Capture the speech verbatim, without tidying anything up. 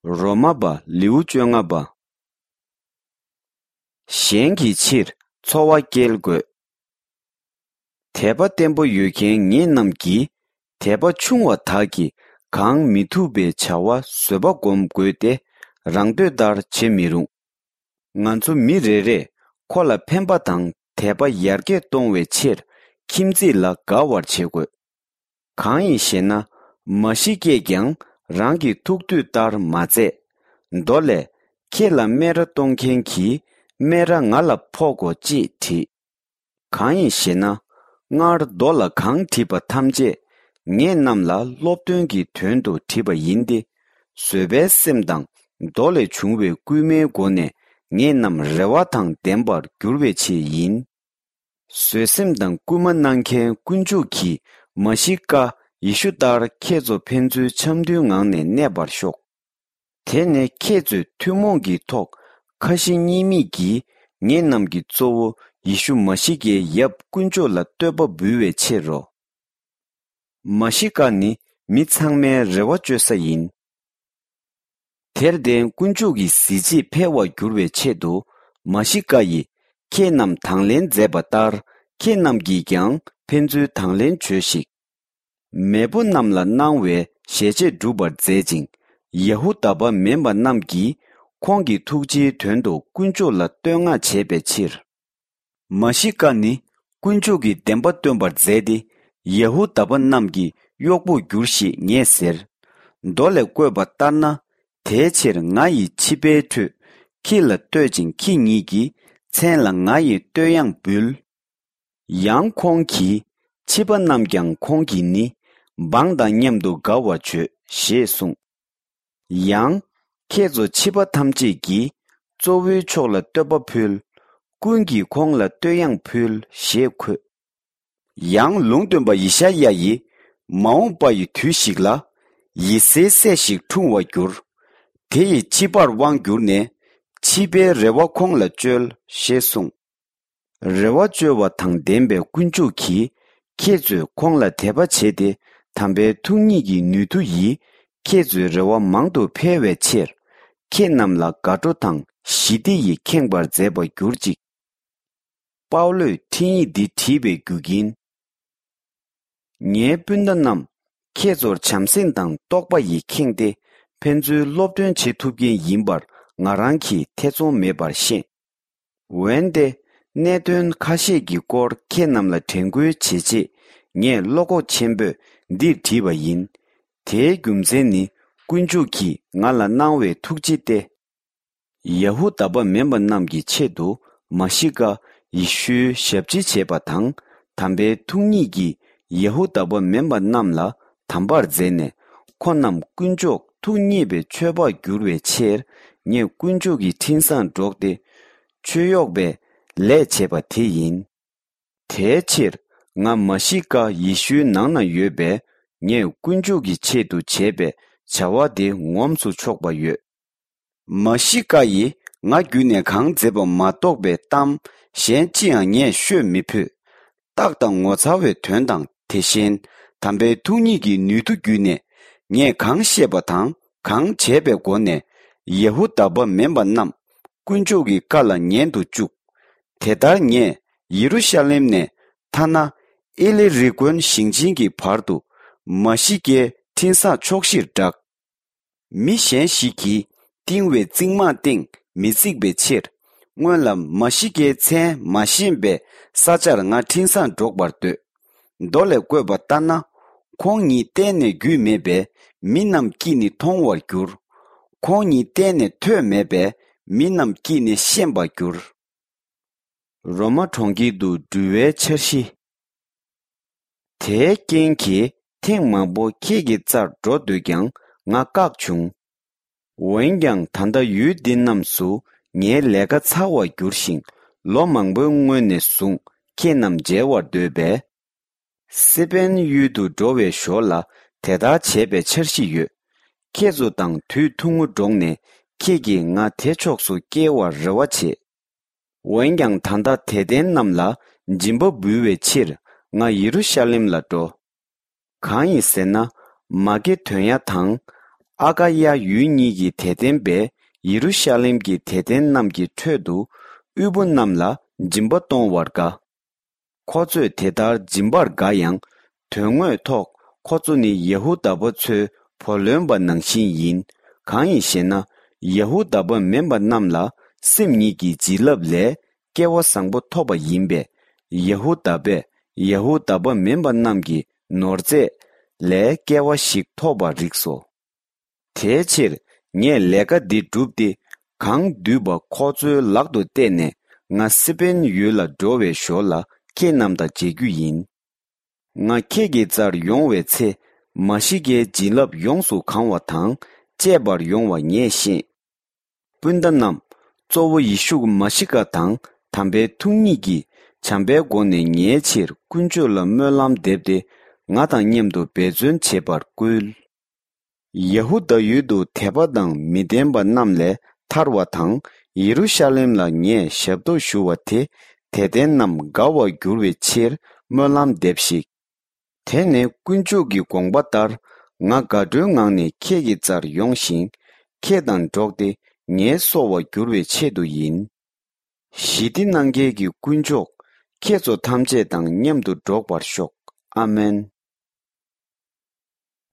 རོ་མ་པ་ལེའུ་བཅོ་ལྔ་པ། གཞན་གྱི་ཕྱིར་འཚོ་བ་སྐྱེལ་དགོས། དད་པ་བརྟན་པོ་ཡོད་མཁན་ངེད་རྣམས་ཀྱིས། དད་པ་ཆུང་བ་དག་གིས་གང་མི་ཐུབ་པའི་བྱ་བ་བཟོད་པ་སྒོམ་དགོས་ཏེ། རང་འདོད་ལྟར་བྱེད་མི་རུང་། ང་ཚོ་མི་རེ་རེས་ཁོ་ལ་ཕན་པ་དང་དད་པ་ཡར་རྒྱས་གཏོང་བའི་ཕྱིར་ཁྱིམ་མཚེས་ལ་དགའ་བར་བྱེད་དགོས། གང་ཡིན་ཞེ་ན། མ་ཤི་ཀས་ཀྱང་རང་གི་ཐུགས་འདོད་ལྟར་མ་མཛད། མདོ་ལས། ཁྱེད་ལ་སྨད་ར་གཏོང་མཁན་གྱིས་སྨད་ར་ང་ལ་ཕོག་གོ་ཅེས་བྲིས། གང་ཡིན་ཞེ་ན། སྔར་མདོ་ལ་གང་བྲིས་པ་ཐམས་ཅད་ངེད་རྣམས་ལ་སློབ་སྟོན་གྱི་དོན་དུ་བྲིས་པ་ཡིན་ཏེ། བཟོད་པའི་སེམས་དང་མདོ་ལས་བྱུང་བའི་སྐུལ་མའི་སྒོ་ནས་ངེད་རྣམས་རེ་བ་དང་ལྡན་པར་འགྱུར་བའི་ཆེད་ཡིན། བཟོད་སེམས་དང་སྐུལ་མ་གནང་མཁན་དཀོན་མཆོག་གིས་མ་ཤི་ཀ་ཡེ་ཤུ་ལྟར་ཁྱེད་ཚོ་ཕན་ཚུན་འཆམ་མཐུན་ངང་ནས་གནས་པར་ཤོག། དེ་ནས་ཁྱེད་ཚོས་ཐུན་མོང་གི་ཐོག་ཁ་ཞེ་གཉིས་མེད་ཀྱིས་ངེད་རྣམས་ཀྱི་གཙོ་བོ་ཡེ་ཤུ་མ་ཤི་ཀའི་ཡབ་དཀོན་མཆོག་ལ་བསྟོད་པ་འབུལ་བའི་ཕྱིར་རོ། མ་ཤི་ཀ་ནི་མི་ཚང་མའི་རེ་བ་བཅོལ་ས་ཡིན། དེར་བརྟེན་དཀོན་མཆོག་གི་གཟི་བརྗིད་འཕེལ་བར་འགྱུར་བའི་ཆེད་དུ། མ་ཤི་ཀ་ཡིས་ཁྱེད་རྣམས་དང་ལེན་མཛད་པ་ལྟར། ཁྱེད་རྣམས་ཀྱིས་ཀྱང་ཕན་ཚུན་དང་ལེན་བྱོས་ཤིག། མེས་པོ་རྣམས་ལ་གནང་བའི་ཞལ་ཆད་འགྲུབ་པར་མཛད་ཅིང་། ཡ་ཧུ་དཱ་པ་མིན་པ་རྣམས་ཀྱིས་ཁོང་གི་ཐུགས་རྗེའི་དོན་དུ་དཀོན་མཆོག་ལ་བསྟོད་བསྔགས་བྱེད་པའི་ཕྱིར། མ་ཤི་ཀ་ནི་དཀོན་མཆོག་གི་བདེན་པ་སྟོན་པར་མཛད་དེ། ཡ་ཧུ་དཱ་པ་རྣམས་ཀྱི་གཡོག་པོར་འགྱུར་ཞེས་ངས་ཟེར། མདོ་ལས་བཀོད་པ་ལྟར་ན། དེའི་ཕྱིར་ང་ཡིས་ཕྱི་པའི་ཁྲོད་ཁྱེད་ལ་བསྟོད་ཅིང་། ཁྱེད་ཉིད་ཀྱི་མཚན་ལ་ང་ཡིས་བསྟོད་དབྱངས་འབུལ། ཡང་ཁོང་གིས། ཕྱི་པ་རྣམས་ཀྱང་ཁོང་གིས་ནི། འབངས་དང་མཉམ་དུ་དགའ་བར་བྱོས་ཞེས་གསུངས། ཡང་། ཁྱེད་ཚོ་ཕྱི་པ་ཐམས་ཅད་ཀྱིས། གཙོ་བོའི་ཕྱོགས་ལ་བསྟོད་པ་ཕུལ། ཀུན་གྱིས་ཁོང་ལ་བསྟོད་དབྱངས་ཕུལ་ཞེས་འཁོད། ཡང་ལུང་སྟོན་པ་ཡེ་ཤ་ཡ་ཡིས། མ་འོངས་པ་ཡི་དུས་ཤིག་ལ། ཡེ་སེའི་སྲས་ཤིག་འཁྲུངས་བར་འགྱུར། དེ་ཡིས་ཕྱི་པར་དབང་བསྒྱུར་ནས། ཕྱི་པའི་རེ་བ་ཁོང་ལ་བཅོལ་ཞེས་གསུངས། རེ་བ་བཅོལ་བ་དང་ལྡན་པའི་དཀོན་མཆོག་གིས། ཁྱེད་ཚོས་ཁོང་ལ་དད་པ་བྱས་ཏེ། དམ་པའི་ཐུགས་ཉིད་ཀྱི་ནུས་མཐུ་ཡིས། ཁྱེད་ཚོའི་རེ་བ་མང་དུ་འཕེལ་བའི་ཕྱིར། ཁྱེད་རྣམས་ལ་དགའ་སྤྲོ་དང་ཞི་བདེ་ཡིས་ཁེངས་པར་མཛད་པར་གྱུར་ཅིག། པའུ་ལོས་འཕྲིན་ཡིག་འདི་བྲིས་པའི་རྒྱུ་རྐྱེན། ངའི་སྤུན་ཟླ་རྣམས། ཁྱེད་ཚོར་བྱམས་སེམས་དང་རྟོགས་པ་ཡིས་ཁེངས་ཏེ། ཕན་ཚུན་སློབ་སྟོན་བྱེད་ཐུབ་མཁན་ཡིན་པར་ང་རང་གིས་ཐེ་ཚོམ་མེད་པར་ཤེས། འོན་ཏེ། གནད་དོན་ཁ་ཤས་ཀྱི་སྐོར་ཁྱེད་རྣམས་ལ་དྲན་སྐུལ་བྱེད་ཆེད། ངས་བློ་ཁོག་ཆེན་པོས་འདིར་བྲིས་པ་ཡིན། དེའི་རྒྱུ་མཚན་ནི། དཀོན་མཆོག་གིས་ང་ལ་གནང་བའི་ཐུགས་རྗེ་སྟེ། ཡ་ཧུ་དཱ་པ་མིན་པ་རྣམས་ཀྱི་ཆེད་དུ། མ་ཤི་ཀ་ཡེ་ཤུའི་ཞབས་ཕྱི་བྱས་པ་དང་། དམ་པའི་ཐུགས་ཉིད་ཀྱིས་ཡ་ཧུ་དཱ་པ་མིན་པ་རྣམས་ལ་དམ་པར་མཛད་ནས། ཁོ་རྣམས་དཀོན་མཆོག་ཐུགས་མཉེས་པའི་མཆོད་པར་འགྱུར་བའི་ཕྱིར། ངས་དཀོན་མཆོག་གི་འཕྲིན་བཟང་སྒྲོག་སྟེ། མཆོད་གཡོག་པའི་ལས་བྱས་པ་དེ་ཡིན། དེའི་ཕྱིར། ང་མ་ཤི་ཀ་ཡེ་ཤུའི་ནང་ན་ཡོད་པས། ངས་དཀོན་མཆོག་གི་ཆེད་དུ་བྱས་པའི་བྱ་བ་དེ་ངོམས་སུ་ཆོག་པ་ཡོད། མ་ཤི་ཀ་ཡིས་ང་བརྒྱུད་ནས་གང་མཛད་པ་མ་གཏོགས་པའི་གཏམ་གཞན་ཅི་ཡང་ངས་ཤོད་མི་ཕོད། རྟགས་དང་ངོ་མཚར་བའི་དོན་དང་། དེ་བཞིན་དམ་པའི་ཐུགས་ཉིད་ཀྱི་ནུས་མཐུ་བརྒྱུད་ནས། ངས་གང་བཤད་པ་དང་གང་བྱས་པའི་སྒོ་ནས། ཡ་ཧུ་དཱ་པ་མིན་པ་རྣམས་དཀོན་མཆོག་གི་བཀའ་ལ་ཉན་དུ་བཅུག། དེ་ལྟར་ངས་ཡེ་རུ་ཤ་ལེམ་ནས་ཐ་ན་ཨི་ལི་རི་ཀོན་ཞིང་ཆེན་གྱི་བར་དུ་མ་ཤི་ཀའི་འཕྲིན་བཟང་ཕྱོགས་བཞིར་བསྒྲགས། མི་གཞན་ཞིག་གིས་བཏིང་བའི་རྩིག་རྨང་སྟེང་མི་བརྩིགས་པའི་ཕྱིར། སྔོན་ལ་མ་ཤི་ཀའི་མཚན་མ་ཤེས་པའི་ས་ཆར་ང་འཕྲིན་བཟང་སྒྲོག་པར་འདོད། མདོ་ལས་བཀོད་པ་ལྟར་ན། ཁོང་ཉིད་གཏན་ནས་རྒྱུས་མེད་པས་མི་རྣམས་ཀྱིས་ནི་མཐོང་བར་འགྱུར། ཁོང་ཉིད་གཏན་ནས་ཐོས་མེད་པས་མི་རྣམས་ཀྱིས་ནི་ཤེས་པར་འགྱུར། རོ་མ་གྲོང་ཁྱེར་དུ་འགྲུལ་བའི་འཆར་གཞི། དེའི་རྐྱེན་གྱིས་ཐེངས་མང་པོ་ཁྱེད་ཀྱི་རྩར་འགྲོ་འདོད་ཀྱང་ང་བཀག་བྱུང་། འོན་ཀྱང་ད་ལྟ་ཡུལ་འདི་རྣམས་སུ་ངའི་ལས་ཀ་ཚར་བར་གྱུར་ཞིང་། ལོ་མང་པོའི་སྔོན་ནས་བཟུང་ཁྱེད་རྣམས་མཇལ་བར་འདོད་པས། སི་པན་ཡུལ་དུ་འགྲོ་བའི་ཞོར་ལ་དེ་ལྟར་བྱས་པའི་འཆར་གཞི་ཡོད། ཁྱེད་ཚོ་དང་དུས་ཐུང་ངུ་འགྲོགས་ནས་ཁྱེད་ཀྱིས་ང་དེ་ཕྱོགས་སུ་སྐྱེལ་བར་རེ་བ་བྱེད། འོན་ཀྱང་ད་ལྟ་དད་ལྡན་རྣམས་ལ་སྦྱིན་པ་འབུལ་བའི་ཕྱིར་ང་ཡེ་རུ་ཤ་ལེམ་ལ་འགྲོ། གང་ཡིན་ཟེར་ན། མ་ཀེ་དོན་ཡ་དང་ ཨ་ཀ་ཡ་ཡུལ་གཉིས་ཀྱི་དད་ལྡན་པས་ཡེ་རུ་ཤ་ལེམ་གྱི་དད་ལྡན་རྣམས་ཀྱི་ཁྲོད་དུ་དབུལ་པོ་རྣམས་ལ་སྦྱིན་པ་གཏོང་བར་དགའ། ཁོ་ཚོས་དེ་ལྟར་སྦྱིན་པར་དགའ་ཡང་། དོན་དངོས་ཐོག་ཁོ་ཚོ་ནི་ཡ་ཧུ་དཱ་པ་ཚོའི་བུ་ལོན་པ་ནང་བཞིན་ཡིན། གང་ཡིན་ཞེ་ན། ཡ་ཧུ་དཱ་པ་མིན་པ་རྣམས་ལ་སེམས་ཉིད་ཀྱི་བྱིན་རླབས་ལས་སྐལ་བ་བཟང་པོ་ཐོབ་པ་ཡིན་པས། ཡ་ཧུ་དཱ་པས་ཡ་ཧུ་དཱ་པ་མིན་པ་རྣམས་ཀྱི་ནོར་རྫས་ལས་སྐལ་བ་ཞིག་ཐོབ་པར་རིགས་སོ། དེའི་ཕྱིར་ངས་ལས་ཀ་འདི་བསྒྲུབས་ཏེ། གང་འདུས་པ་ཁོ་ཚོའི་ལག་ཏུ་གཏད་ནས། ང་སི་པན་ཡུལ་ལ་འགྲོ་བའི་ཞོར་ལ་ཁྱེད་རྣམས་དང་མཇལ་རྒྱུ་ཡིན། ང་ཁྱེད་ཀྱི་རྩར་ཡོང་བའི་ཚེ། མ་ཤི་ཀའི་བྱིན་རླབས་ཡོངས་སུ་གང་བ་དང་བཅས་པར་ཡོང་བ་ངས་ཤེས། སྤུན་ཟླ་རྣམས། གཙོ་བོ་ཡེ་ཤུ་མ་ཤི་ཀ་དང་དམ་པའི་ཐུགས་ཉིད་ཀྱིས་བྱམས་པའི་སྒོ་ནས་ངའི་ཕྱིར་དཀོན་མཆོག་ལ་སྨོན་ལམ་འདེབས་ཏེ། ང་དང་མཉམ་དུ་འབད་བརྩོན་བྱེད་པར་བསྐུལ། ཡ་ཧུ་དཱ་ཡུལ་དུ་དད་པ་དང་མི་ལྡན་པ་རྣམས་ལས་ཐར་བ་དང་། ཡེ་རུ་ཤ་ལེམ་ལ་ངས་ཞབས་ཏོག་ཞུ་བ་དེ། དད་ལྡན་རྣམས་དགའ་བར་འགྱུར་བའི་ཕྱིར་སྨོན་ལམ་འདེབས་ཤིག། དེ་ནི་དཀོན་མཆོག་གི་དགོངས་པ་ལྟར། ང་དགའ་སྤྲོའི་ངང་ནས་ཁྱེད་ཀྱི་རྩར་ཡོང་ཞིང་། ཁྱེད་དང་འགྲོགས་ཏེ་ངལ་གསོ་བར་འགྱུར་བའི་ཆེད་དུ་ཡིན། ཞི་བདེ་གནང་མཁན་གྱི་དཀོན་མཆོག་ཁྱེད་ཚོ་ཐམས་ཅད་དང་མཉམ་དུ་འགྲོགས་པར་ཤོག། ཨ་མེན།